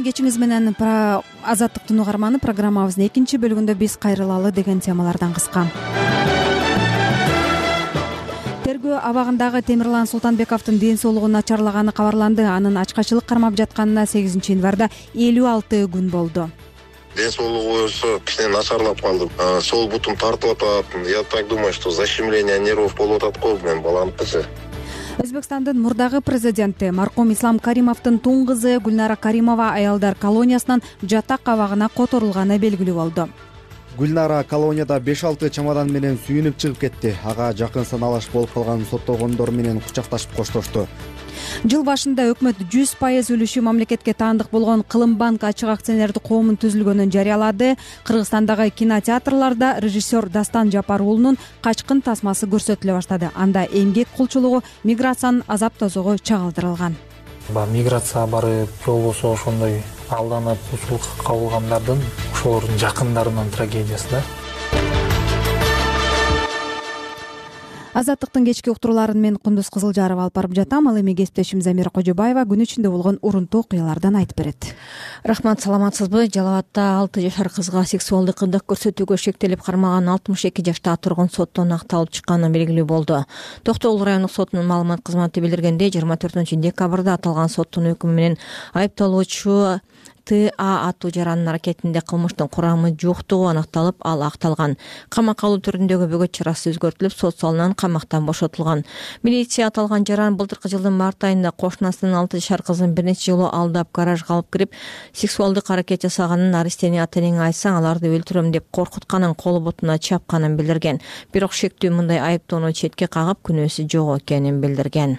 кечиңиз менен Азаттыктын угарманы программабыздын экинчи бөлүгүндө биз кайрылалы деген темалардан кыска. Тергөө абагындагы Темирлан Султанбековдун ден соолугу начарлаганы кабарланды. Анын ачкачылык кармап жатканына 8 январда 56 күн болду. Ден соолугу кичине начарлап калды. Сол бутум тартып атат. Я так думаю, что защемление нервов болуп атат го менин баламыкычы. Өзбекстандын мурдагы президенти маркум Ислам Каримовдун тун кызы Гүлнара Каримова аялдар колониясынан жатак абагына которулганы белгилүү болду. Гүлнара колонияда 5-6 чамадан менен сүйүнүп чыгып кетти. Ага жакын саналаш болуп калган соттолгондор менен кучакташып коштошту. Жыл башында өкмөт 100% үлүшү мамлекетке таандык болгон Кылымбанк ачык акционердик коомун түзүлгөнүн жарыялады. Кыргызстандагы кинотеатрларда режиссер Дастан Жапар уулунун Качкын тасмасы көрсөтүлө баштады. Анда эмгек кулчулугу, миграциянын азап-тозогу чагылдырылган. Миграция барып, болбосо ошондой алданып кулчулукка кабылгандардын ошолордун жакындарынын трагедиясы да. Азаттыктын кечки уктурууларын мен Кундуз Кызылжаров алып барып жатам. Ал эми кесиптешим Замира Кожобаева күн ичинде болгон урунтуу окуялардан айтып берет. Рахмат, саламатсызбы? Жалал абадда 6 жашар кызга сексуалдык кылдык көрсөтүүгө шектелип кармаган 62 жаштагы тургун соттон акталып чыкканы белгилүү болду. Токтогул райондук сотунун маалымат кызматы билдиргендей, 24-декабрда аталган соттун өкүмү менен айыпталуучу Т.А. аттуу жарандын аракетинде кылмыштын курамы жоктугу аныкталып, ал акталган. Камакка алуу түрүндөгү бөгөт чарасы өзгөртүлүп, сот залынан камактан бошотулган. Милиция аталган жаран былтыркы жылдын март айында кошунасынын 6 жашар кызын бир нече жолу алдап, гаражга алып кирип, сексуалдык аракет жасаганын, арестени ата-энеңе айтсаң, аларды өлтүрөм деп коркутканын, колу бутуна чапканын билдирген. Бирок шектүү мындай айыптоону четке кагып, күнөөсү жок экенин билдирген.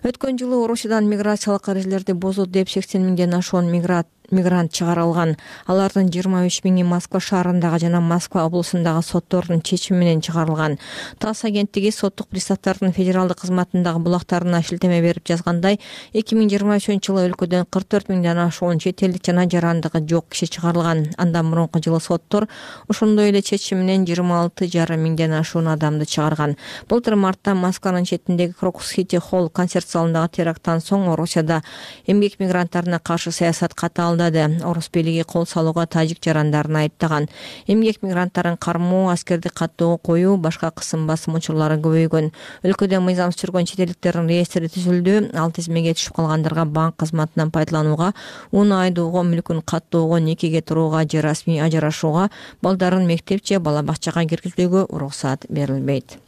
Өткөн жылы Орусиядан миграциялык эрежелерди бузду деп 80 миңден ашуун мигрант чыгарылган. Алардын 23 миңи Москва шаарындагы жана Москва облусундагы соттордун чечими менен чыгарылган. ТАСС агенттиги соттук приставдардын федералдык кызматындагы булактарына шилтеме берип жазгандай, 2023-жылы өлкөдөн 44 миңден ашуун чет элдик жана жарандыгы жок киши чыгарылган. Андан мурунку жылы соттор ошондой эле чечим менен 26,5 миңден ашуун адамды чыгарган. Былтыр мартта Москванын четиндеги Крокус-Сити холл концерт залындагы теракттан соң Орусияда эмгек мигранттарына каршы саясат катаалдады. Орус бийлиги кол салууга тажик жарандарын айыптаган. Эмгек мигранттарын кармоо, аскерди каттоого коюу, башка кысым басым учурлары көбөйгөн. Өлкөдө мыйзамсыз жүргөн чет элдиктердин реестри түзүлдү. Ал тизмеге түшүп калгандарга банк кызматынан пайдаланууга, уну айдоого, мүлкүн каттоого, никеге турууга же расмий ажырашууга, балдарын мектеп же бала бакчага киргизүүгө уруксат берилбейт.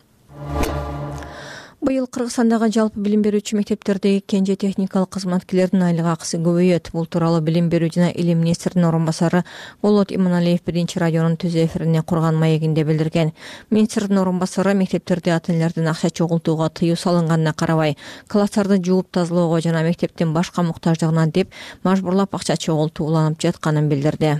Быйыл Кыргызстандагы жалпы билим берүүчү мектептердеги кенже техникалык кызматкерлердин айлык акысы көбөйөт. Бул тууралуу Билим берүү жана илим министринин орун басары Болот Иманалиев биринчи радионун түз эфирине курган маегинде билдирген. Министрдин орун басары мектептерде ата-энелердин акча чогултууга тыюу салынганына карабай, класстарды жууп тазалоого жана мектептин башка муктаждыгына деп мажбурлап акча чогултуу уланып жатканын билдирди.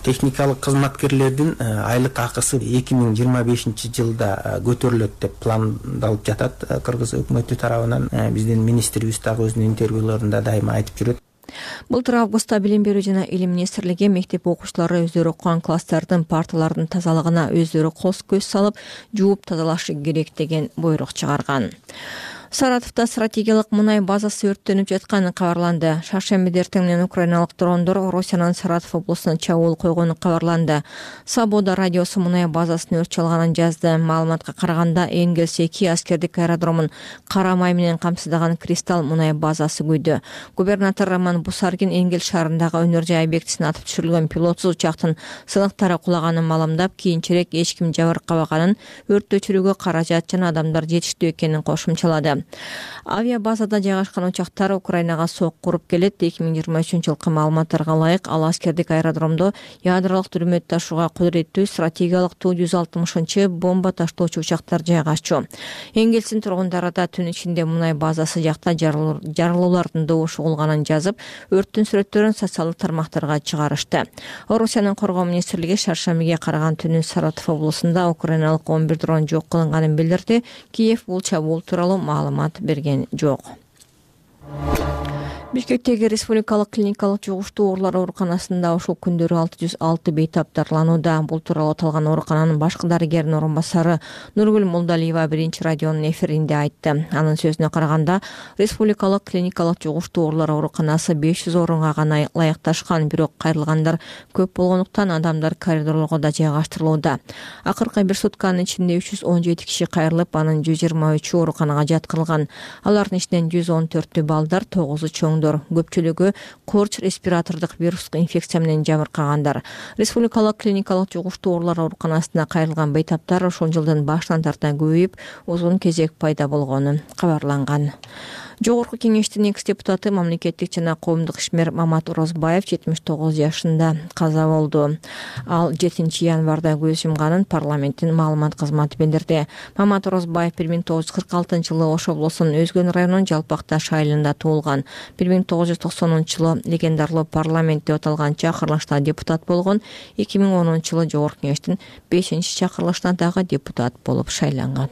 Техникалык кызматкерлердин айлык акысы 2025-жылда көтөрүлөт деп пландалып жатат. Кыргыз өкмөтү тарабынан биздин министрибиз дагы өзүнүн интервьюларында дайыма айтып жүрөт. Былтыр августта Билим берүү жана илим министрлиги мектеп окуучулары өздөрү окуган класстардын парталардын тазалыгына өздөрү көз салып, жууп тазалашы керек деген буйрук чыгарган. Саратовда стратегиялык мунай базасы өрттөнүп жатканы кабарланды. Шаршембиде эртең менен украиналык дрондор Орусиянын Саратов облусуна чабуул койгону кабарланды. Свобода радиосу мунай базасын өрт чалганын жазды. Маалыматка караганда, Энгельс 2 аскердик аэродромун кара май менен камсыздаган Кристалл мунай базасы күйдү. Губернатор Роман Бусаргин Энгельс шаарындагы өнөр жай объектисине атып түшүрүлгөн пилотсуз учактын сыныктары кулаганын маалымдап, кийинчерээк эч ким жабыркабаганын, өрттү өчүрүүгө каражат жана адамдар жетиштүү экенин кошумчалады. Авиабазада жайгашкан учактар Украинага сок куруп келет. 2023-жылкы маалыматтарга ылайык, ал аскердик аэродромдо ядролук дүрмөт ташууга кудуреттүү стратегиялык Ту-160 бомба таштоочу учактар жайгашчу. Энгельстин тургундары да түн ичинде мунай базасы жакта жарылуулардын добушу угулганын жазып, өрттүн сүрөттөрүн социалдык тармактарга чыгарышты. Орусиянын коргоо министрлиги шаршембиге караган түнү Саратов облусунда украиналык 11 дрон жок кылынганын билдирди. Киев бул чабуул тууралуу маалымат берген жок. Бишкектеги Республикалык клиникалык жугуштуу оорулар ооруканасында ушул күндөрү 606 бейтап дарыланууда. Бул тууралуу аталган оорукананын башкы дарыгеринин орун басары Нургүл Молдалиева биринчи радионун эфиринде айтты. Анын сөзүнө караганда, Республикалык клиникалык жугуштуу оорулар ооруканасы 500 орунга гана ылайыкташкан, бирок кайрылгандар көп болгондуктан адамдар коридорлорго да жайгаштырылууда. Акыркы бир сутканын ичинде 317 киши кайрылып, анын 123 ооруканага жаткырылган. Алардын ичинен 114 балдар, 9 чоңдор. Көпчүлүгү корч респиратордук вирустук инфекция менен жабыркагандар. Республикалык клиникалык жугуштуу оорулар ооруканасына кайрылган бейтаптар ошол жылдын башынан тарта көбөйүп, узун кезек пайда болгону кабарланган. Жогорку кеңештин экс-депутаты, мамлекеттик жана коомдук ишмер Мамат Орозбаев 79 жашында каза болду. Ал 7 январда көз жумганын парламенттин маалымат кызматы билдирди. Мамат Орозбаев 1946 жылы Ош облусунун Өзгөн районунун Жалпакташ айылында туулган. 1990 жылы легендарлуу парламент деп аталган чакырылышта депутат болгон. 2010 жылы Жогорку кеңештин 5-чакырылышына дагы депутат болуп шайланган.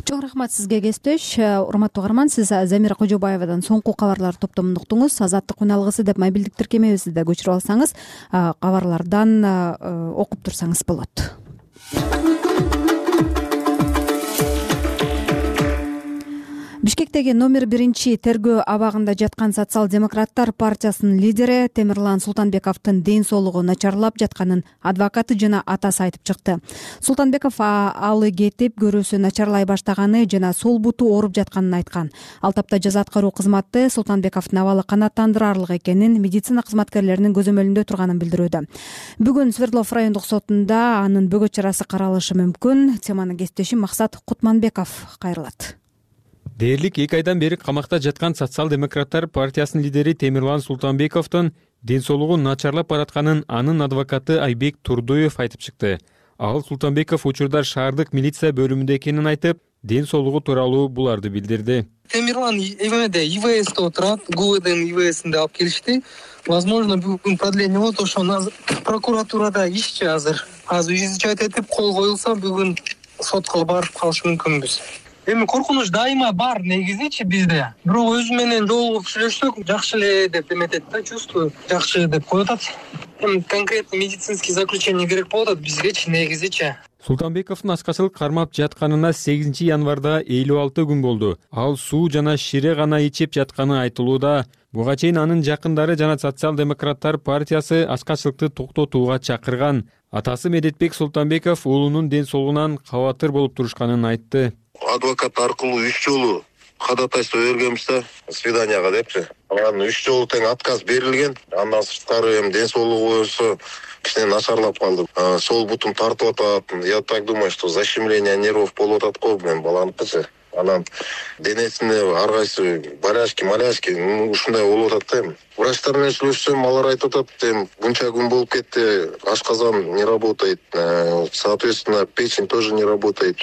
Чоң рахмат сизге, кесиптеш. Урматтуу угарман, сиз Замира Кожобаевадан соңку кабарлар топтомун уктуңуз. Азаттык үналгысы деп мобилдик тиркемебизди да көчүрүп алсаңыз, кабарлардан окуп турсаңыз болот. Бишкектеги номер 1 тергөө абагында жаткан Социал-демократтар партиясынын лидери Темирлан Султанбековдун ден соолугу начарлап жатканын адвокаты жана атасы айтып чыкты. Султанбеков алы кетип, көрүүсү начарлай баштаганы жана сол буту ооруп жатканын айткан. Ал тапта жаза аткаруу кызматы Султанбековдун абалы канааттандырарлык экенин, медицина кызматкерлеринин көзөмөлүндө турганын билдирүүдө. Бүгүн Свердлов райондук сотунда анын бөгөт чарасы каралышы мүмкүн. Теманы кесиптешим Максат Кутманбеков кайрылат. Дээрлик 2 айдан бери камакта жаткан Социал-демократтар партиясынын лидери Темирлан Султанбековдун ден соолугу начарлап баратканын анын адвокаты Айбек Турдуев айтып чыкты. Ал Султанбеков учурда шаардык милиция бөлүмүндө экенин айтып, ден соолугу тууралуу буларды билдирди. Темирлан ИВСте отурат, ГУВДнын ИВСинде алып келишти. Возможно, бүгүн продление болот, ошону прокуратурада ишчи азыр изучать этип кол коюлса, бүгүн сотко барып калышы мүмкүнбүз. Эми коркунуч дайыма бар негизичи бизде. Бирок өзү менен жолугуп сүйлөшсөк, жакшы эле деп эметет да, чувствую, жакшы деп коюп атат. Эми конкретный медицинский заключение керек болуп атат бизгечи негизичи. Султанбековдун ачкачылык кармап жатканына 8 январда 56 күн болду. Ал суу жана шире гана ичип жатканы айтылууда. Буга чейин анын жакындары жана Социал-демократтар партиясы ачкачылыкты токтотууга чакырган. Атасы Медетбек Султанбеков уулунун ден соолугунан кабатыр болуп турушканын айтты. Адвокат аркылуу 3 жолу ходатайство бергенбиз да, свиданияга депчи. Анан 3 жолу тең отказ берилген. Андан сырткары эми ден соолугу боюнча кичине начарлап калды. Сол бутум тартып атат. Я так думаю, что защемление нервов болуп атат го мен баланыкычы. Анан денесинде ар кайсы маляшки ушундай болуп атат да. Врачтар менен сүйлөшсөм, алар айтып атат, мынча күн болуп кетти, ашказан не работает, соответственно, печень тоже не работает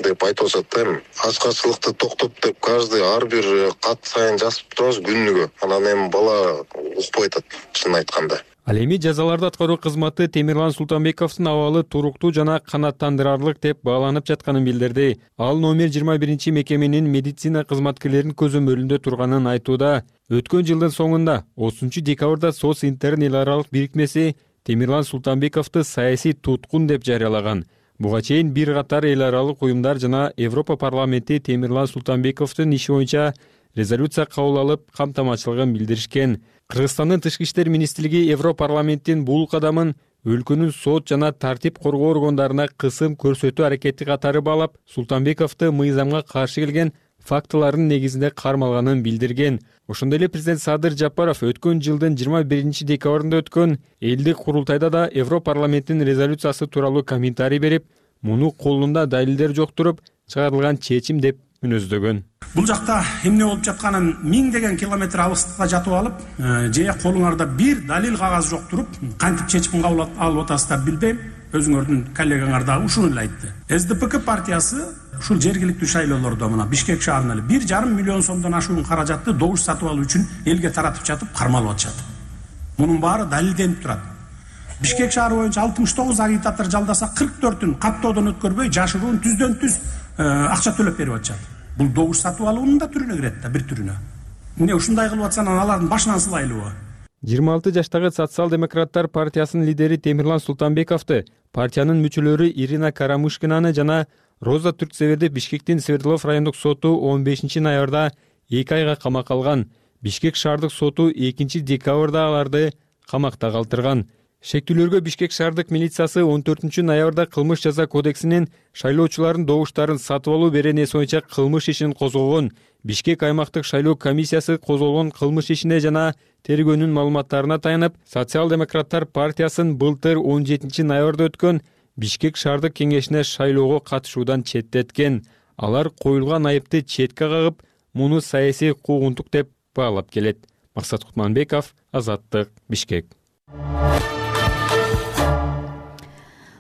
деп айтып атат. Ачкачылыкты токтот деп каждый ар бир кат сайын жазып турабыз күнүгө. Анан эми бала укпай атат, чын айтканда. Ал эми жазаларды аткаруу кызматы Темирлан Султанбековдун абалы туруктуу жана канааттандырарлык деп бааланып жатканын билдирди. Ал номер 21 мекеменин медицина кызматкерлеринин көзөмөлүндө турганын айтууда. Өткөн жылдын соңунда 30 декабрда Социнтерн эл аралык бирикмеси Темирлан Султанбековду саясий туткун деп жарыялаган. Буга чейин бир катар эл аралык уюмдар жана Европа парламенти Темирлан Султанбековдун иши боюнча резолюция кабыл алып, камтамачылыгын билдиришкен. Кыргызстандын Тышкы иштер министрлиги Европарламенттин бул кадамын өлкөнүн сот жана тартип коргоо органдарына кысым көрсөтүү аракети катары баалап, Султанбековду мыйзамга каршы келген фактылардын негизинде кармалганын билдирген. Ошондой эле президент Садыр Жапаров өткөн жылдын 21 декабрында өткөн элдик курултайда да Европарламенттин резолюциясы тууралуу комментарий берип, муну колунда далилдер жок туруп чыгарылган чечим деп мүнөздөгөн. Бул жакта эмне болуп жатканын 1000 километр алыстыкта жатып алып, же колуңарда бир далил кагаз жок туруп, кантип чечим кабыл алып атасыздар билбейм. Өзүңөрдүн коллегаңар дагы ушуну эле айтты. СДПК партиясы ушул жергиликтүү шайлоолордо мына Бишкек шаарында эле 1,5 миллион сомдон ашуун каражатты добуш сатып алуу үчүн элге таратып жатып кармалып атышат. Мунун баары далилденип турат. Бишкек шаары боюнча 69 агитатор жалдаса 44-ün каттоодон өткөрбөй жашыруун түздөн түз акча төлөп берип атышат. Бул добуш сатып алуунун да түрүнө кирет да, бир түрүнө. эмне ушундай кылып атса анан алардын башынан сылайлыбы? 26 жаштагы социал-демократтар партиясынын лидери Темирлан Султанбековду партиянын мүчөлөрү Ирина Карамышкинаны жана Роза Түрксеверди Бишкектин Свердлов райондук соту 15 ноябрда 2 айга камакка алган. Бишкек шаардык соту 2 декабрда аларды камакта калтырган. Шектүүлөргө Бишкек шаардык милициясы 14 ноябрда кылмыш жаза кодексинин шайлоочулардын добуштарын сатып алуу беренеси боюнча кылмыш ишин козгогон. Бишкек аймактык шайлоо комиссиясы козголгон кылмыш ишине жана тергөөнүн маалыматтарына таянып, социал-демократтар партиясын былтыр 17 ноябрда өткөн Бишкек шаардык кеңешине шайлоого катышуудан четтеткен. Алар коюлган айыпты четке кагып, муну саясий куугунтук деп баалап келет. Максат Кутманбеков, Азаттык, Бишкек.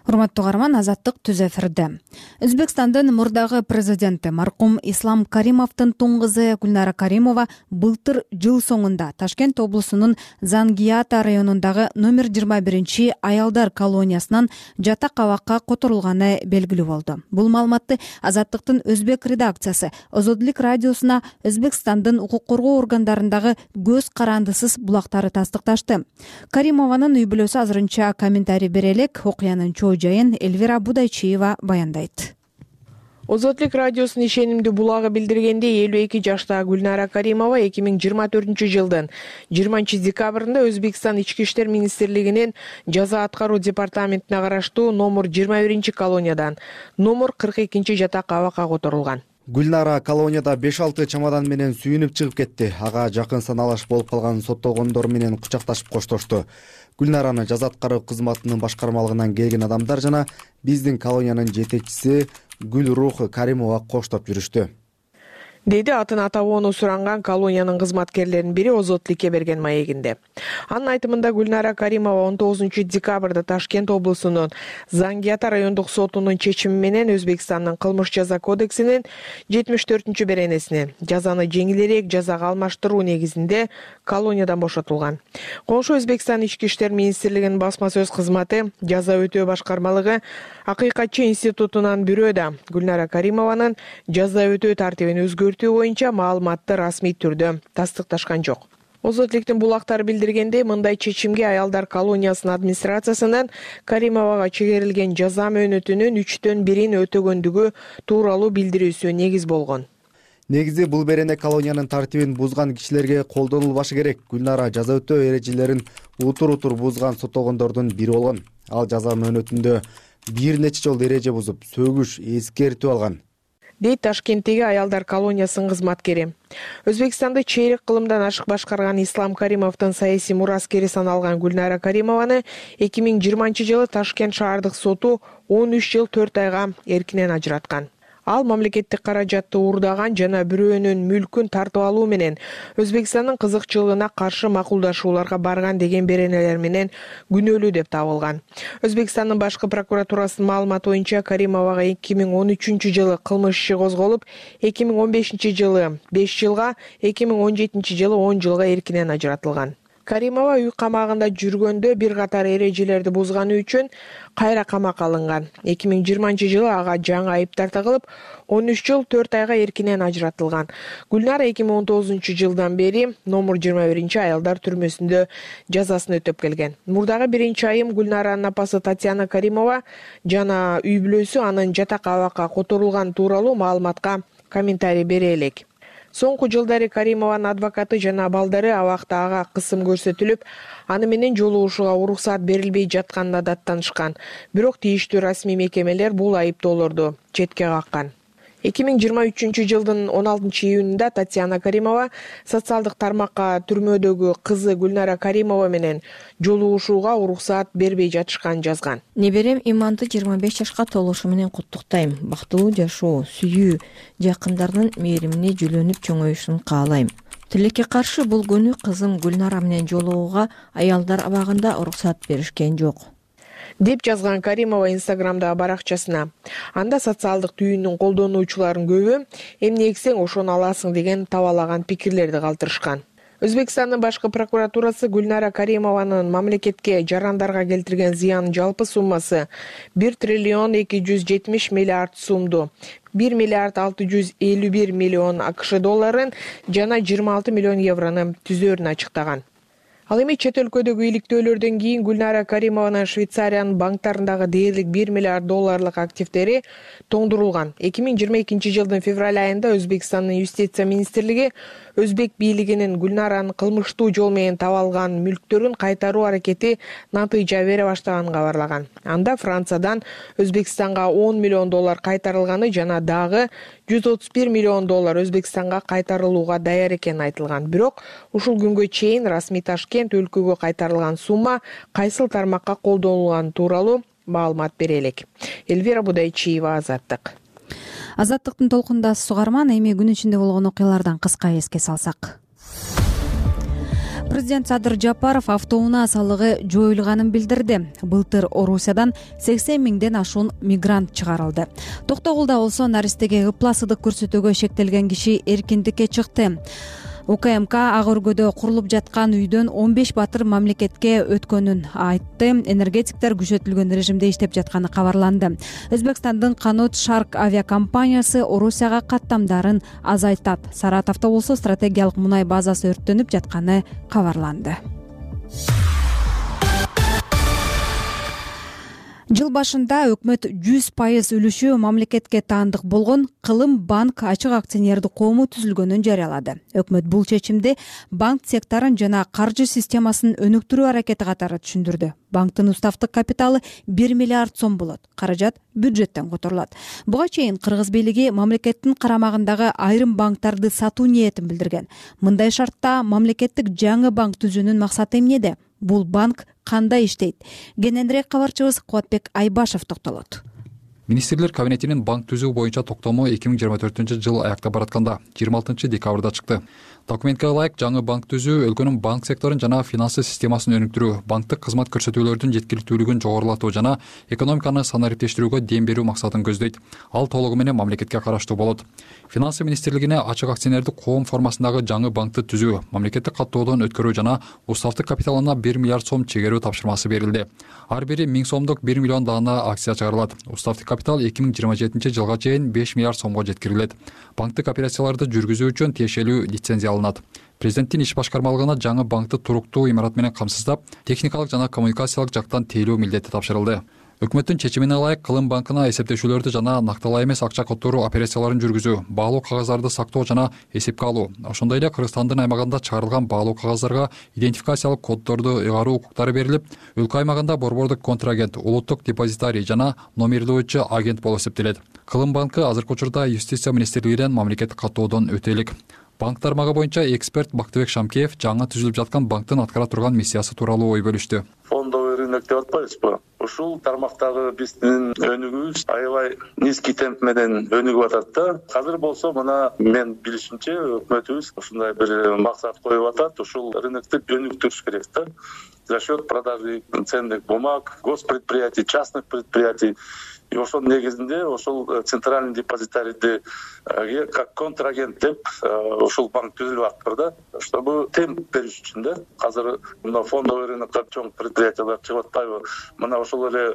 Урматтуу каарман, Азаттык түз эфирде. Өзбекстандын мурдагы президенти маркум Ислам Каримовдун туң кызы Гүлнара Каримова былтыр жыл соңунда Ташкент облусунун Зангиата районундагы номер 21 аялдар колониясынан жатак абакка которулганы белгилүү болду. Бул маалыматты Азаттыктын өзбек редакциясы Озодлук радиосуна Өзбекстандын укук коргоо органдарындагы көз карандысыз булактары тастыкташты. Каримованын үй бүлөсү азырынча комментарий бере элек. Окуянын жайын Эльвира Будайчиева баяндайт. Озодлук радиосунун ишенимдүү булагы билдиргендей, 52 жаштагы Гүлнара Каримова 2024 жылдын 20 декабрында Өзбекстан Ички иштер министрлигинин жаза аткаруу департаментине караштуу номер 21 колониядан номер 42 жатак абакка которулган. Гүлнара колонияда 5-6 чамадан менен сүйүнүп чыгып кетти. Ага жакын саналаш болуп калган соттолгондор менен кучакташып коштошту. Гүлнараны жаза аткаруу кызматынын башкармалыгынан келген адамдар жана биздин колониянын жетекчиси Гүлрух Каримова коштоп жүрүштү. Деди атын атабоону суранган колониянын кызматкерлеринин бири Озодлукке берген маегинде. Анын айтымында Гүлнара Каримова 19 декабрда Ташкент облусунун Зангиата райондук сотунун чечими менен Өзбекстандын кылмыш жаза кодексинин 74 беренесине жазаны жеңилирээк жазага алмаштыруу негизинде колониядан бошотулган. Коңшу Өзбекстан Ички иштер министрлигинин басма сөз кызматы жаза өтөө башкармалыгы Акыйкатчы институтунан бирөөдө Гүлнара Каримованын жаза өтөө тартибин өзгөртүү боюнча маалыматты расмий түрдө тастыкташкан жок. Озодлуктун булактары билдиргендей, мындай чечимге аялдар колониясынын администрациясынын Каримовага чегерилген жаза мөөнөтүнүн 3/1 өтөгөндүгү тууралуу билдирүүсү негиз болгон. Негизи бул берене колониянын тартибин бузган кишилерге колдонулбашы керек. Гүлнара жаза өтөө эрежелерин утур бузган соттолгондордун бири болгон. Ал жаза мөөнөтүндө бир нече жолу эреже бузуп, сөгүш, эскертүү алган, дейт Ташкенттеги аялдар колониясынын кызматкери. Өзбекстанды чейрек кылымдан ашык башкарган Ислам Каримовдун саясий мураскери саналган Гүлнара Каримованы 2020 жылы Ташкент шаардык соту 13 жыл 4 айга эркинен ажыраткан. Ал мамлекеттик каражатты уурдаган жана бирөөнүн мүлкүн тартып алуу менен Өзбекстандын кызыкчылыгына каршы макулдашууларга барган деген беренелер менен күнөөлүү деп табылган. Өзбекстандын башкы прокуратурасынын маалыматы боюнча Каримовага 2013 жылы кылмыш иши козголуп, 2015 жылы 5 жылга, 2017 жылы 10 жылга эркинен ажыратылган. Каримова үй камагында жүргөндө бир катар эрежелерди бузганы үчүн кайра камакка алынган. 2020 жылы ага жаңы айып тартылып, 13 жыл 4 айга эркинен ажыратылган. Гүлнара 2019 жылдан бери номер 21 аялдар түрмөсүндө жазасын өтөп келген. Мурдагы 1-айым Гүлнаранын апасы Татьяна Каримова жана үй бүлөсү анын жатак абакка которулган тууралуу маалыматка комментарий бере элек. Соңку жылдары Каримованын адвокаты жана балдары абакта ага кысым көрсөтүлүп, аны менен жолугушууга уруксат берилбей жатканына даттанышкан. Бирок тийиштүү расмий мекемелер бул айыптоолорду четке каккан. 2023 жылдын 16 июнунда Татьяна Каримова социалдык тармакка түрмөдөгү кызы Гүлнара Каримова менен жолугушууга уруксат бербей жатышканын жазган. Неберем Иманды 25 жашка толушу менен куттуктайм. Бактылуу жашоо, сүйүү, жакындардын мээримине жүлөнүп чоңоюшун каалайм. Тилекке каршы бул күнү кызым Гүлнара менен жолугууга аялдар абагында уруксат беришкен жок, деп жазган Каримова Инстаграмдагы баракчасына. Анда социалдык түйүнүн колдонуучуларынын көбү эмне эксең ошону аласың деген табалаган пикирлерди калтырышкан. Өзбекстандын башкы прокуратурасы Гүлнара Каримованын мамлекетке жарандарга келтирген зыянын жалпы суммасы 1 триллион 270 миллиард сумду, 1 миллиард 651 миллион АКШ долларын жана 26 миллион еврону түзөөрүн ачыктаган. Ал эми чет өлкөдөгү иликтөөлөрдөн кийин Гүлнара Каримованын Швейцариянын банктарындагы дээрлик 1 миллиард долларлык активдери тоңдурулган. 2022 жылдын февраль айында Өзбекстандын юстиция министрлиги Өзбек бийлигинин Гүлнаранын кылмыштуу жол менен таап алган мүлктөрүн кайтаруу аракети натыйжа бере баштаганын кабарлаган. Анда Франциядан Өзбекстанга 10 миллион доллар кайтарылганы жана дагы 131 миллион доллар Өзбекстанга кайтарылууга даяр экени айтылган. Бирок ушул күнгө чейин расмий Ташкент өлкөгө кайтарылган сумма кайсыл тармакка колдонулганы тууралуу маалымат бере элек. Эльвира Будайчиева, Азаттык. Азаттыктын толкундасы сугарман. Эми күн ичинде болгон окуялардан кыска эске салсак. Президент Садыр Жапаров автоунаа салыгы жоюлганын билдирди. Былтыр Орусиядан 80 миңден ашуун мигрант чыгарылды. Токтогулда болсо наристеге ыпласыздык көрсөтүүгө шектелген киши эркиндикке чыкты. УКМК ак өргөдө курулуп жаткан үйдөн 15 батыр мамлекетке өткөнүн айтты. Энергетиктер күчөтүлгөн режимде иштеп жатканы кабарланды. Өзбекстандын Канот Шарк авиакомпаниясы Орусияга каттамдарын азайтат. Саратовдо болсо стратегиялык мунай базасы өрттөнүп жатканы кабарланды. Жыл башында өкмөт 100% үлүшү мамлекетке таандык болгон Кылым банк ачык акционердик коому түзүлгөнүн жарыялады. Өкмөт бул чечимди банк секторун жана каржы системасын өнүктүрүү аракети катары түшүндүрдү. Банктын уставдык капиталы 1 миллиард сом болот. Каражат бюджеттен которулат. Буга чейин Кыргыз бийлиги мамлекеттин карамагындагы айрым банктарды сатуу ниетин билдирген. Мындай шартта мамлекеттик жаңы банк түзүүнүн максаты эмнеде? Бул банк кандай иштейт? Кененирээк кабарчыбыз Кубатбек Айбашев токтолот. Министрлер кабинетинин банк түзүү боюнча токтому 2024 жыл аяктап баратканда 26 декабрда чыкты. Документке ылайык жаңы банк түзүү өлкөнүн банк секторун жана финансы системасын өнүктүрүү, банктык кызмат көрсөтүүлөрдүн жеткиликтүүлүгүн жогорулатуу жана экономиканы санариптештирүүгө дем берүү максатын көздөйт. Ал толугу менен мамлекетке караштуу болот. Финансы министрлигине ачык акционердик коом формасындагы жаңы банкты түзүү, мамлекеттик каттоодон өткөрүү жана уставдык капиталына 1 миллиард сом чегерүү тапшырмасы берилди. Ар бири 1000 сомдук 1 миллион даана акция чыгарылат. Уставдык капитал 2027 жылга чейин 5 миллиард сомго жеткирилет. Банктык операцияларды жүргүзүү үчүн тиешелүү лицензия алынат. Президенттин иш башкармалыгына жаңы банкты туруктуу имарат менен камсыздап, техникалык жана коммуникациялык жактан тейлөө милдети тапшырылды. Өкмөттүн чечимине ылайык Кылым банкына эсептешүүлөрдү жана накталай эмес акча которуу операцияларын жүргүзүү, баалуу кагаздарды сактоо жана эсепке алуу, ошондой эле Кыргызстандын аймагында чыгарылган баалуу кагаздарга идентификациялык коддорду ыйгаруу укуктары берилип, өлкө аймагында борбордук контрагент, улуттук депозитарий жана номерлөөчү агент болуп эсептелет. Кылым банкы азыркы учурда юстиция министрлигинен мамлекеттик каттоодон өтө элек. Банк тармагы боюнча эксперт Бактыбек Шамкеев жаңы түзүлүп жаткан банктын аткара турган миссиясы тууралуу ой бөлүштү. Фондовый рынок деп атпайбызбы? Ушул тармактагы биздин өнүгүүбүз аябай низкий темп менен өнүгүп атат да. Азыр болсо мына мен билишимче өкмөтүбүз ушундай бир максат коюп атат. Ушул рынокты өнүктүрүш керек да. За счет продажи ценных бумаг, госпредприятий, частных предприятий. И ошол негизинде ошол центральный депозитарийди как контрагент деп ошол банк түзүлүп атыптыр да, чтобы темп бериш үчүн да. Азыр мына фондовый рынокко чоң предприятиялар чыгып атпайбы? Мына ошол эле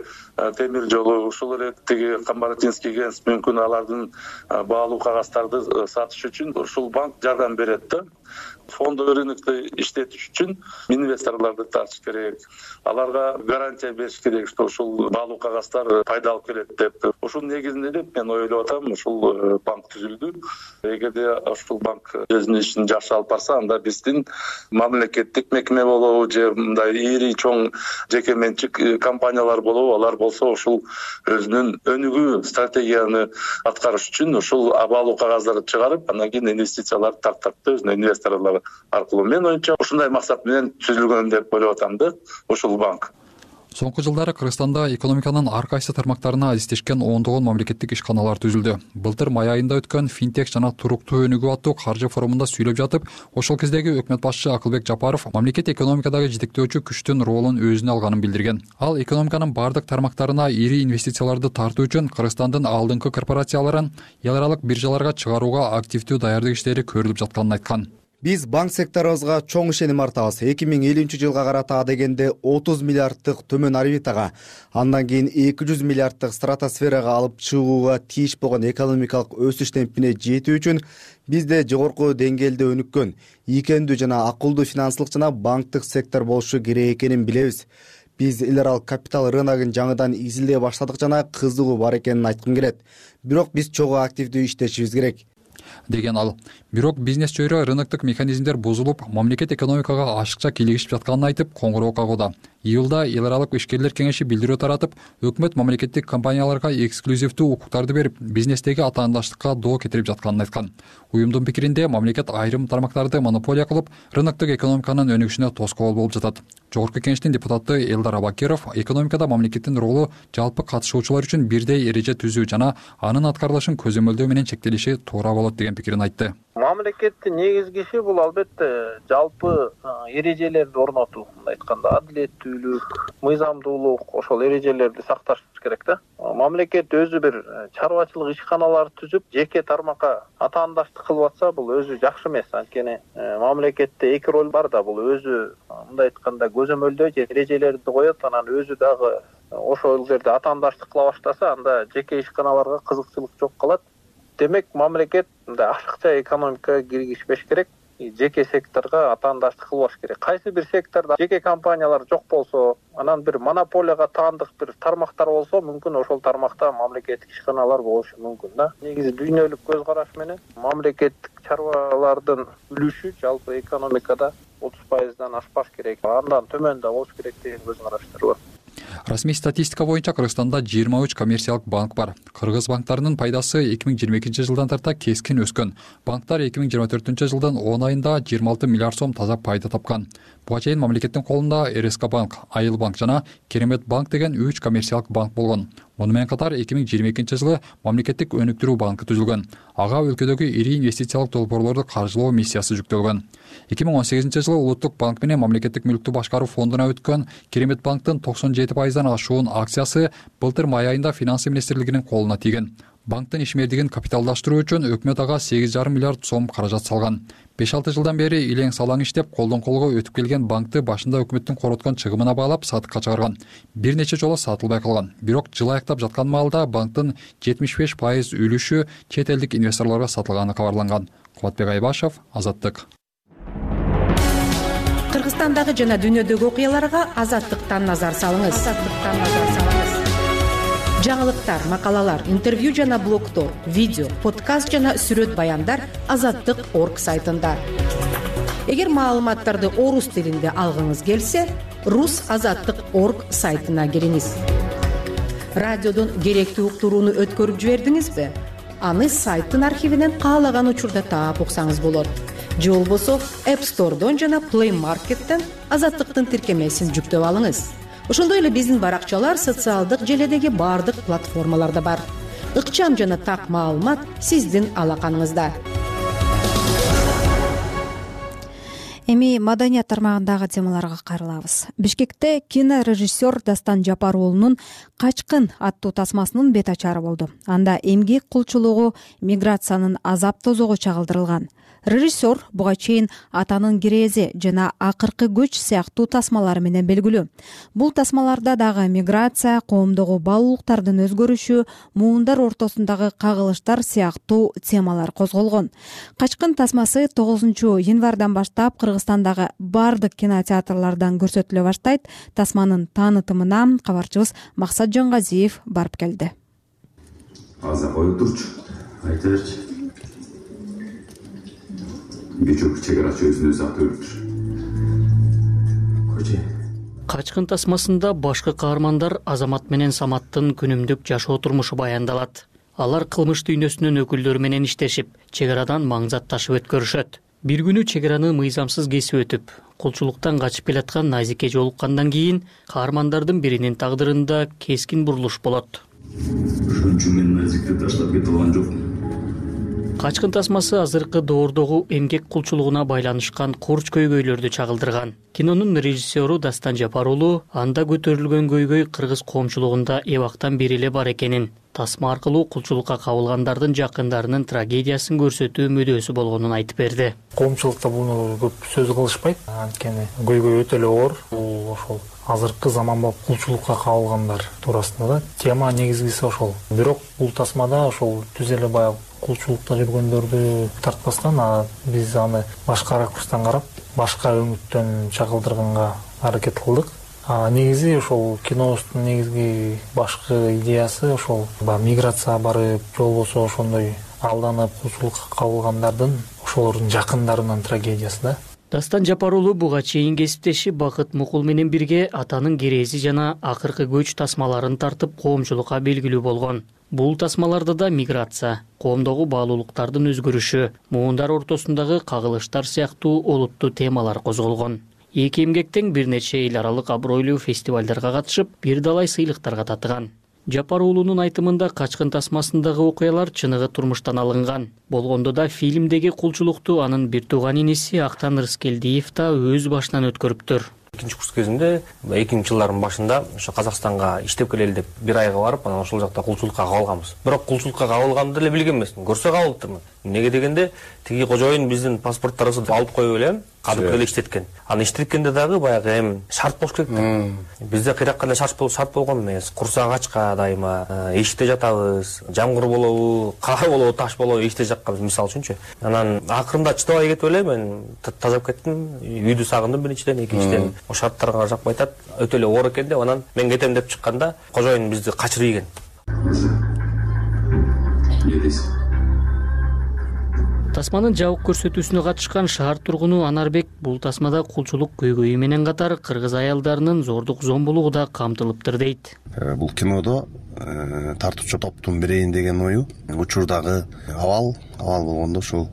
темир жолу, ошол эле тиги Камбаратинский генс мүмкүн алардын баалуу кагаздарды сатыш үчүн ушул банк жардам берет да. Фондовый рынокты иштетиш үчүн инвесторлорду тартыш керек. Аларга гарантия бериш керек, что ушул баалуу кагаздар пайда алып келет деп. Ушул негизинде деп мен ойлоп атам, ушул банк түзүлдү. Эгерде ушул банк өзүнүн ишин жакшы алып барса, анда биздин мамлекеттик мекеме болобу же мындай ири чоң жеке менчик компаниялар болобу, алар болсо ушул өзүнүн өнүгүү стратегияны аткарыш үчүн ушул баалуу кагаздарды чыгарып, андан кийин инвестицияларды тартат да өзүнүн инвесторлору аркылуу. Мен оюмча ушундай максат менен түзүлгөн деп ойлоп атам да ушул банк. Соңку жылдары Кыргызстанда экономиканын ар кайсы тармактарына азиздешкен ондогон мамлекеттик ишканалар түзүлдү. Былтыр май айында өткөн финтек жана туруктуу өнүгүү аттуу каржы форумунда сүйлөп жатып, ошол кездеги өкмөт башчы Акылбек Жапаров мамлекет экономикадагы жетектөөчү күчтүн ролун өзүнө алганын билдирген. Ал экономиканын бардык тармактарына ири инвестицияларды тартуу үчүн Кыргызстандын алдыңкы корпорацияларын эл аралык биржаларга чыгарууга активдүү даярдык иштери көрүлүп жатканын айткан. Биз банк секторубузга чоң ишеним артабыз. 2050-жылга карата адегенде 30 миллиарддык төмөн орбитага, андан кийин 200 миллиарддык стратосферага алып чыгууга тийиш болгон экономикалык өсүш темпине жетүү үчүн бизде жогорку деңгээлде өнүккөн, ийкемдүү жана акылдуу финансылык жана банктык сектор болушу керек экенин билебиз. Биз эл аралык капитал рыногун жаңыдан изилдей баштадык жана кызыгуу бар экенин айткым келет. Бирок биз чогуу активдүү иштешибиз керек, деген ал. Бирок бизнес чөйрө рыноктук механизмдер бузулуп, мамлекет экономикага ашыкча кийлигишип жатканын айтып, коңгуроо кагууда. Июлда эл аралык ишкерлер кеңеши билдирүү таратып, өкмөт мамлекеттик компанияларга эксклюзивдүү укуктарды берип, бизнестеги атаандаштыкка доо кетирип жатканын айткан. Уюмдун пикиринде, мамлекет айрым тармактарды монополия кылып, рыноктук экономиканын өнүгүшүнө тоскоол болуп жатат. Жогорку кеңештин депутаты Элдар Абакиров экономикада мамлекеттин ролу жалпы катышуучулар үчүн бирдей эреже түзүү жана анын аткарылышын көзөмөлдөө менен чектелиши туура болот деген пикирин айтты. Мамлекеттин негизги иши бул албетте жалпы эрежелерди орнотуу, мындай айтканда адилеттүүлүк, мыйзамдуулук, ошол эрежелерди сакташ керек да. Мамлекет өзү бир чарбачылык ишканаларды түзүп, жеке тармакка атаандаштык кылып атса, бул өзү жакшы эмес. Анткени мамлекетте эки роль бар да, бул өзү мындай айтканда көзөмөлдөө же эрежелерди коет, анан өзү дагы ошол жерде атаандаштык кыла баштаса, анда жеке ишканаларга кызыкчылык жок калат. Демек, мамлекет мындай ашыкча экономикага киргизбеш керек, жеке секторго атаандаштык кылбаш керек. Кайсы бир сектордо жеке компаниялар жок болсо, анан бир монополияга таандык бир тармактар болсо, мүмкүн ошол тармакта мамлекеттик ишканалар болушу мүмкүн да. Негизи дүйнөлүк көз караш менен мамлекеттик чарбалардын үлүшү жалпы экономикада 30%дан ашпаш керек, андан төмөн да болуш керек деген көз караштар бар. Расмий статистика боюнча Кыргызстанда 23 коммерциялык банк бар. Кыргыз банктарынын пайдасы 2022 жылдан тарта кескин өскөн. Банктар 2024 жылдын 10 айында 26 миллиард сом таза пайда тапкан. Буга чейин мамлекеттин колунда РСК банк, Айыл банк жана Керемет банк деген 3 коммерциялык банк болгон. Муну менен катар 2022 жылы мамлекеттик өнүктүрүү банкы түзүлгөн. Ага өлкөдөгү ири инвестициялык долбоорлорду каржылоо миссиясы жүктөлгөн. 2018 жылы Улуттук банк менен мамлекеттик мүлктү башкаруу фондуна өткөн Керемет банктын 97%дан ашуун акциясы былтыр май айында Финансы министрлигинин колуна тийген. Банктын ишмердигин капиталдаштыруу үчүн өкмөт ага 8,5 миллиард сом каражат салган. 5-6 жылдан бери илең салаң иштеп, колдон колго өтүп келген банкты башында өкмөттүн короткон чыгымына баалап сатыкка чыгарган. Бир нече жолу сатылбай калган. Бирок жыл аяктап жаткан маалда банктын 75% үлүшү чет элдик инвесторлорго сатылганы кабарланган. Кубатбек Айбашев, Азаттык. Кыргызстандагы жана дүйнөдөгү окуяларга Азаттыктан назар салыңыз. Жаңылыктар, макалалар, интервью жана блогдор, видео, подкаст жана сүрөт баяндар Азаттык.орг сайтында. Эгер маалыматтарды орус тилинде алгыңыз келсе, rusazаттык.орг сайтына кириңиз. Радиодон керектүү уктурууну өткөрүп жибердиңизби? Аны сайттын архивинен каалаган учурда таап уксаңыз болот. Же болбосо App Store'дон жана Play Market'тен Азаттыктын тиркемесин жүктөп алыңыз. Ошондой эле биздин баракчалар социалдык желедеги бардык платформаларда бар. Ыкчам жана так маалымат сиздин алаканыңызда. Эми маданият тармагындагы темаларга кайрылабыз. Бишкекте кинорежиссер Дастан Жапар уулунун «Качкын» аттуу тасмасынын бет ачары болду. Анда эмгек кулчулугу, миграциянын азап тозогу чагылдырылган. Режиссер буга чейин «Атанын кирээзи» жана «Акыркы көч» сыяктуу тасмалары менен белгилүү. Бул тасмаларда дагы миграция, коомдогу баалуулуктардын өзгөрүшү, муундар ортосундагы кагылыштар сыяктуу темалар козголгон. «Качкын» тасмасы 9 январдан баштап Кыргызстандагы бардык кинотеатрлардан көрсөтүлө баштайт. Тасманын таанытымына кабарчыбыз Максат Жонгазиев барып келди. Азыр коюп турчу, айта берчи. Бечок чек ара өзүнө заты өлүптүр. Коче. Качкын тасмасында башкы каармандар Азамат менен Саматтын күнүмдүк жашоо турмушу баяндалат. Алар кылмыш дүйнөсүнүн өкүлдөрү менен иштешип, чек арадан маңзат ташып өткөрүшөт. Бир күнү чек араны мыйзамсыз кесип өтүп, кулчулуктан качып келаткан Назике жолуккандан кийин каармандардын биринин тагдырында кескин бурулуш болот. Ошончо мен Назикти таштап кете алган жокмун. Качкын тасмасы азыркы доордогу эмгек кулчулугуна байланышкан курч көйгөйлөрдү чагылдырган. Кинонун режиссеру Дастан Жапар уулу анда көтөрүлгөн көйгөй кыргыз коомчулугунда эбактан бери эле бар экенин, тасма аркылуу кулчулукка кабылгандардын жакындарынын трагедиясын көрсөтүү мүдөөсү болгонун айтып берди. Коомчулукта буну көп сөз кылышпайт, анткени көйгөй өтө эле оор. Бул ошол азыркы заманбап кулчулукка кабылгандар туурасында да тема негизгиси ошол. Бирок бул тасмада ошол түз эле баягы кулчулукта жүргөндөрдү тартпастан, биз аны башка ракурстан карап, башка өңүттөн чагылдырганга аракет кылдык. Негизи ошол кинобуздун негизги башкы идеясы ошол миграция барып, же болбосо ошондой алданып кулчулукка кабылгандардын ошолордун жакындарынын трагедиясы да. Дастан Жапар уулу буга чейин кесиптеши Бакыт Мукул менен бирге атанын керези жана акыркы көч тасмаларын тартып коомчулукка белгилүү болгон. Бул тасмаларда да миграция, коомдогу баалуулуктардын өзгөрүшү, муундар ортосундагы кагылыштар сыяктуу олуттуу темалар козголгон. Эки эмгектен бир нече эл аралык абройлуу фестивалдарга катышып, бир далай сыйлыктарга татыган. Жапар уулунун айтымында Качкын тасмасындагы окуялар чыныгы турмуштан алынган. Болгондо да фильмдеги кулчулукту анын бир тууган иниси Актан Рыскелдиев да өз башынан өткөрүптүр. Экинчи курс кезинде 2000-жылдардын башында ошо Казакстанга иштеп келели деп бир айга барып, анан ошол жакта кулчулукка кабылганбыз. Бирок кулчулукка кабылганымды деле билген эмесмин. Көрсө кабылыптырмын. Эмнеге дегенде, тиги кожоюн биздин паспорттарыбызды алып коюп элем, кадып эле иштеткен. Аны иштеткенде дагы баягы шарт болуш керек да. Бизде кыйракка эле шарт болгон эмес. Курсак ачка дайыма, эшикте жатабыз, жамгыр болобу, кар болобу, таш болобу эшикте жатканбыз мисалы үчүнчү. Анан акырында чыдабай кетип эле мен тазап кеттим, үйдү сагындым биринчиден, экинчиден о шарттарга жакпай атат, өтө эле оор экен деп анан мен кетем деп чыкканда кожоюн бизди качырып ийген. Тасманын жабык көрсөтүүсүнө катышкан шаар тургуну Анарбек бул тасмада кулчулук көйгөйү менен катар кыргыз аялдарынын зордук зомбулугу да камтылыптыр дейт. Бул кинодо тартуучу топтун бирейин деген ою учурдагы абал болгондо ушул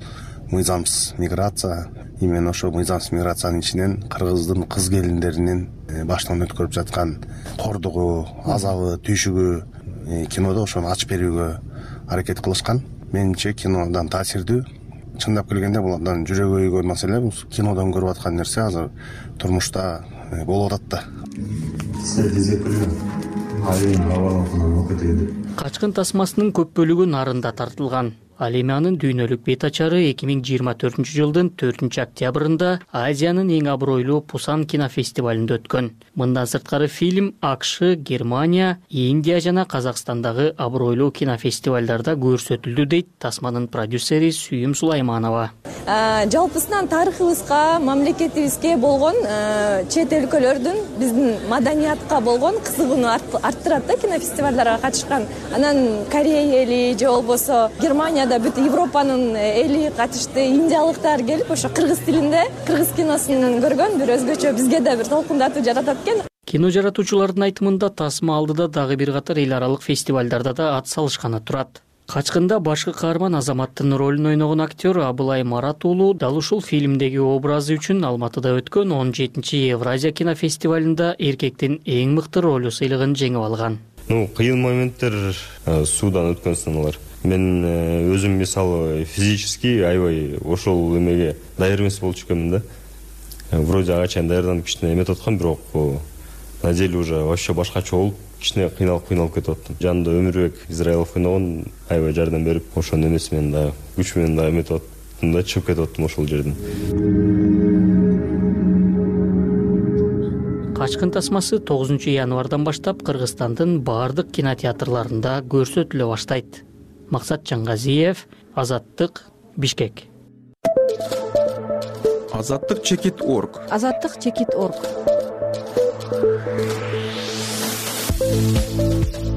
мыйзамсыз миграция, именно ошол мыйзамсыз миграциянын ичинен кыргыздын кыз келиндеринин баштан өткөрүп жаткан кордугу, азабы, түйшүгү кинодо ошону ачып берүүгө аракет кылышкан. Менимче кинодон таасирдүү. Чындап келгенде бул абдан жүрөгү өйгөн маселе. Бул кинодон көрүп аткан нерсе азыр турмушта болуп атат да. Качкын тасмасынын көп бөлүгү нарында тартылган. Ал эми анын дүйнөлүк бет ачары 2024-жылдын 4-октябрында Азиянын эң абройлуу Пусан кинофестивалында өткөн. Мындан сырткары фильм АКШ, Германия, Индия жана Казакстандагы абройлуу кинофестивалдарда көрсөтүлдү дейт тасманын продюсери Сүйүм Сулайманова. Жалпысынан тарыхыбызга, мамлекетибизге болгон чет өлкөлөрдүн биздин маданиятка болгон кызыгууну арттырат да кинофестивалдарга катышкан. Анан Корея эли же болбосо Германия бүт Европанын эли катышты, индиялыктар келип ошо кыргыз тилинде, кыргыз киносун көргөн бир өзгөчө бизге да бир толкундатуу жаратат экен. Кино жаратуучулардын айтымында тасма алдыда дагы бир катар эл аралык фестивалдарда да ат салышканы турат. Качкында башкы каарман Азаматтын ролун ойногон актер Абылай Марат уулу дал ушул фильмдеги образы үчүн Алматыда өткөн 17-чи Евразия кинофестивалында эркектин эң мыкты ролу сыйлыгын жеңип алган. Кыйын моменттер суудан өткөн сыналар. Мен өзүм мисалы физически аябай ошол эмеге даяр эмес болчу экенмин да. Вроде ага чейин даярданып кичине эметип аткам, бирок на деле уже вообще башкача болуп, кичине кыйналып кетип аттым. Жанында Өмүрбек Израилов ойногон аябай жардам берип, ошонун эмеси менен да, күч менен да эметип аттым да, чыгып кетип аттым ошол жерден. Качкын тасмасы 9-январдан баштап Кыргызстандын баардык кинотеатрларында көрсөтүлө баштайт. Максат Чангазиев, Азаттык, Бишкек. Азаттык чекит.орг. Азаттык чекит.орг.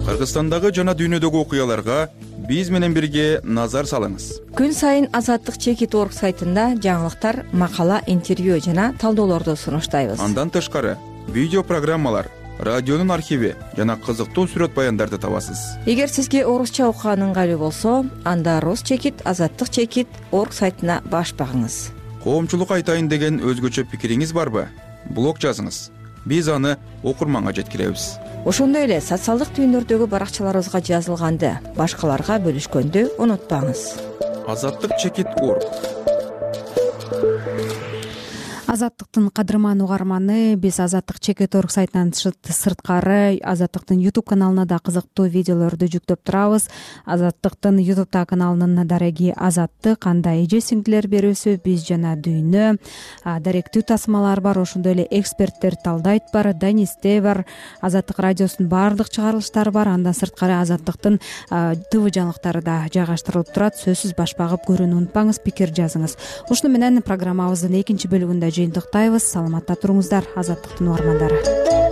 Кыргызстандагы жана дүйнөдөгү окуяларга биз менен бирге назар салыңыз. Күн сайын Азаттык чекит.орг сайтында жаңылыктар, макала, интервью жана талдоолорду сунуштайбыз. Андан тышкары видео программалар, радионун архиви жана кызыктуу сүрөт баяндарды табасыз. Эгер сизге орусча окуган ыңгайлуу болсо, анда Рус чекит, Азаттык чекит.орг сайтына баш багыңыз. Коомчулукка айтайын деген өзгөчө пикириңиз барбы? Блог жазыңыз. Биз аны окурманга жеткиребиз. Ошондой эле социалдык түйүндөрдөгү баракчаларыбызга жазылганды башкаларга бөлүшкөндү унутпаңыз. Азаттык чекит.орг. Азаттыктын кадырман угарманы, биз Азаттык Чекит.орг сайтынан сырткары Азаттыктын YouTube каналына да кызыктуу видеолорду жүктөп турабыз. Азаттыктын YouTube каналынын дареги Азаттык, анда эже сиңдилер берүүсү, биз жана дүйнө, даректүү тасмалар бар, ошондой эле эксперттер талдайт бар, Данисте бар, Азаттык радиосунун баардык чыгарылыштары бар. Андан сырткары Азаттыктын ТВ жаңылыктары да жайгаштырылып турат. Сөзсүз баш багып көрүүнү унутпаңыз, пикир жазыңыз. Ушуну менен программабыздын экинчи бөлүгүндө жыйынтыктайбыз. Саламатта туруңуздар, Азаттыктын угармандары.